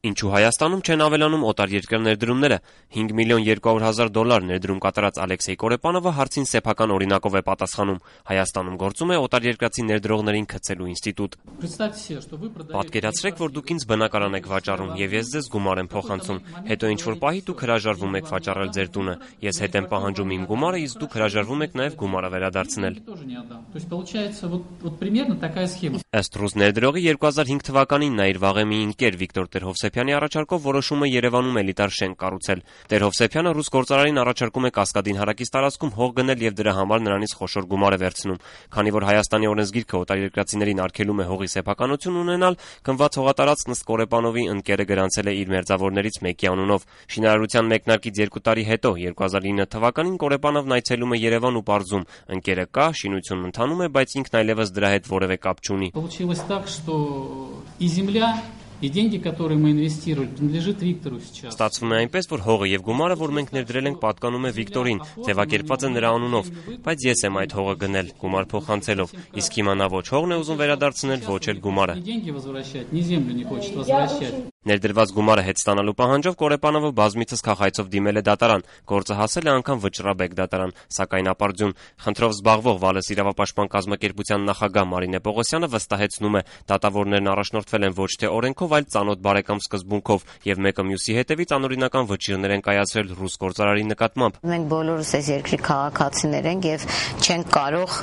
Ինչու Հայաստանում չեն ավելանում օտարերկրյա ներդրումները։ 5 միլիոն 200 հազար դոլար ներդրում կատարած Ալեքսեյ Կորեպանովը հարցին սեփական օրինակով է պատասխանում. Հայաստանում գործում է օտարերկրացի ներդրողներին քցելու ինստիտուտ։ Պատկերացրեք, որ դուք ինձ բնակարան եք վաճառում եւ ես ձեզ գումար եմ փոխանցում։ Հետո ինչ-որ պահի դուք հրաժարվում եք վաճառել ձեր տունը։ Ես հետ եմ պահանջում իմ գումարը, իսկ դուք հրաժարվում եք նաեւ գումարը վերադարձնել։ Ըստ ռուս ներդրողի 2005 թվականին նա իր վաղեմի ընկեր Վիկտոր Տեր-Հովսեփյանի առաջարկով որոշում է Երևանում էլիտար շենք կառուցել։ Տեր-Հովսեփյանը ռուս գործարարին առաջարկում է Կասկադին հարակից տարածքում հող գնել եւ դրա համար նրանից խոշոր գումար է վերցնում։ Քանի որ Հայաստանի օրենսգիրքը օտարերկրացիներին արգելում է հողի սեփականություն ունենալ, գնված հողատարածքն ըստ Կորեպանովի ընկերը գրանցել է իր մերձավորներից մեկի անունով։ Շինարարության մեկնարկից 2 տարի հետո 2009 թվականին Կորեպանովն այցելում է Երևան ու պարզում. ընկերը կա, շինությունն ընթանում է, բայց ինքն այլևս դրա հետ որևէ կապ չունի։ И деньги, которые мы инвестировали, принадлежит Виктору сейчас. Ստացվում է այնպես, որ հողը եւ գումարը, որ մենք ներդրել ենք, պատկանում է Վիկտորին, ձևակերպված է նրա անունով, բայց ես եմ այդ հողը գնել, գումար փոխանցելով, իսկ հիմա նա ոչ հողն է ուզում վերադարձնել, ոչ էլ գումարը։ Ներդրված գումարը հետ ստանալու պահանջով Կորեպանովը բազմիցս քաղաքայցով դիմել է դատարան, գործը հասել է անգամ Վճռաբեկ դատարան, սակայն ապարդյուն։ Խնդրով զբաղվող Վալես իրավապաշտպան կազմակերպության նախագահ Մարինե Պողոսյանը վստահեցնում է, դատավորներն առաջնորդվել են ոչ թե օրենքով, այլ ծանոթ բարեկամ սկզբունքով եւ մեկը մյուսի հետևից անօրինական վճիռներ են կայացրել ռուս գործարարի նկատմամբ։ Մենք բոլորս այս երկրի քաղաքացիներ ենք եւ չենք կարող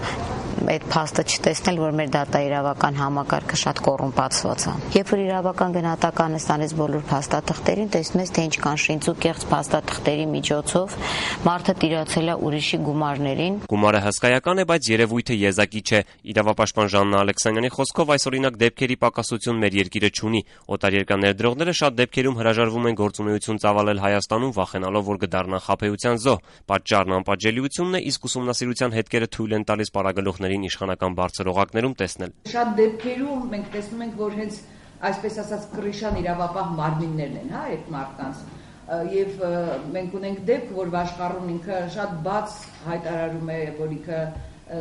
այդ փաստը չտեսնել, որ մեր դատաիրավական համակարգը շատ կոռումպացված է։ Երբ որ իրավական գնահատականը ստանես բոլոր փաստաթղթերին, տեսնում ես, թե ինչ կան շինծ ու կեղծ փաստաթղթերի միջոցով մարդը տիրացել է ուրիշի գումարներին։ Գումարը հսկայական է, բայց երևույթը եզակի չէ։ Իրավապաշտպան Ժաննա Ալեքսանյանի խոսքով այսօրինակ դեպքերի պակասություն մեր երկիրը չունի։ Օտարերկրյա ներդրողները շատ դեպքերում հրաժարվում են գործունեություն ծավալել Հայաստանում, վախենալով, որ կդառնան խաբեության զոհ։ Պատճառն անպատժելիությունն է, իսկ ուսումնասիրության հետքերը թույլ են տալիս պարագլուխներին իշխանական բարձր օղակներում տեսնել։ Շատ դեպքերում մենք տեսնում ենք, որ հենց այսպես ասած կռիշան իրավապահ մարմիններն են, այդ մարդկանց։ Եվ մենք ունենք դեպք, որ Վաշխառուն ինքը շատ բաց հայտարարում է, որ ինքը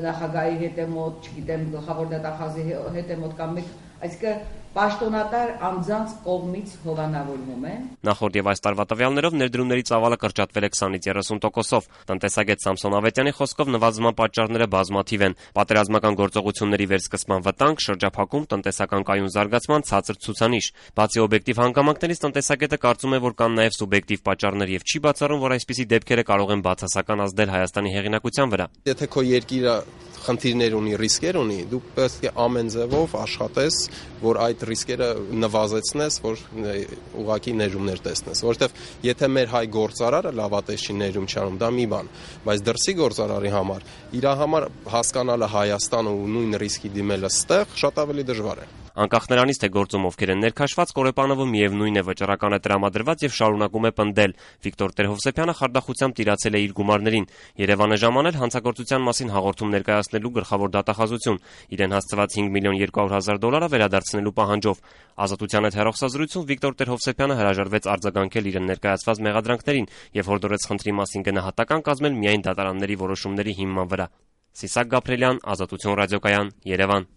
նախագահի հետ է մոտ, չգիտեմ, գլխավոր դատախազի հետ է մոտ կամ մեկ, այսինքն պաշտոնատար անձանց կողմից հովանավորվում են։ Նախորդ եւ այս տարվա տվյալներով ներդրումների ծավալը կրճատվել է 20-ից 30%-ով։ Տնտեսագետ Սամսոն Ավետյանի խոսքով նվազման պատճառները բազմաթիվ են։ Պատերազմական գործողությունների վերսկսման վտանգ, շրջափակում, տնտեսական կայուն զարգացման ցածր ցուցանիշ։ Բացի օբյեկտիվ հանգամանքներից տնտեսագետը կարծում է, որ կան նաեւ սուբյեկտիվ պատճառներ եւ չի բացառում, որ այսպիսի դեպքերը կարող են բացասական ազդել Հայաստանի հեղինակության վրա։ Եթե քո երկիրը խնդիրներ ունի, ռիսկեր ունի, դու պետք է ամեն ձևով աշխատես, որ այդ ռիսկերը նվազեցնես, որ ուղղակի ներումներ տեսնես, որովհետև եթե մեր հայ գործարարը լավատես չի ներում չանում, դա մի բան, բայց դրսի գործարարի համար իր համար հասկանալը Հայաստանը ու նույն ռիսկի դիմելը ստեղ շատ ավելի դժվար է։ Անկախ նրանից, թե գործում ովքեր են ներքաշված, Կորեպանովը միևնույն է վճռական է տրամադրված եւ շարունակում է պնդել։ Վիկտոր Տեր-Հովսեփյանը խարդախությամբ տիրացել է իր գումարներին։ Երևան է ժամանել հանցագործության մասին հաղորդում ներկայացնելու գլխավոր դատախազություն, իրեն հասցված 5 միլիոն 200 հազար դոլարը վերադարձնելու պահանջով։ Ազատության հետ հեռախոսազրույցում Վիկտոր Տեր-Հովսեփյանը հրաժարվեց արձագանքել իրեն ներկայացված մեղադրանքներին եւ հորդորեց խնդրի մասին գնահատական կազմել միայն դատարանների որոշումների հիման վրա։ Սիսակ Գաբրելյան, Ազատություն ռադիոկայան, Երևան։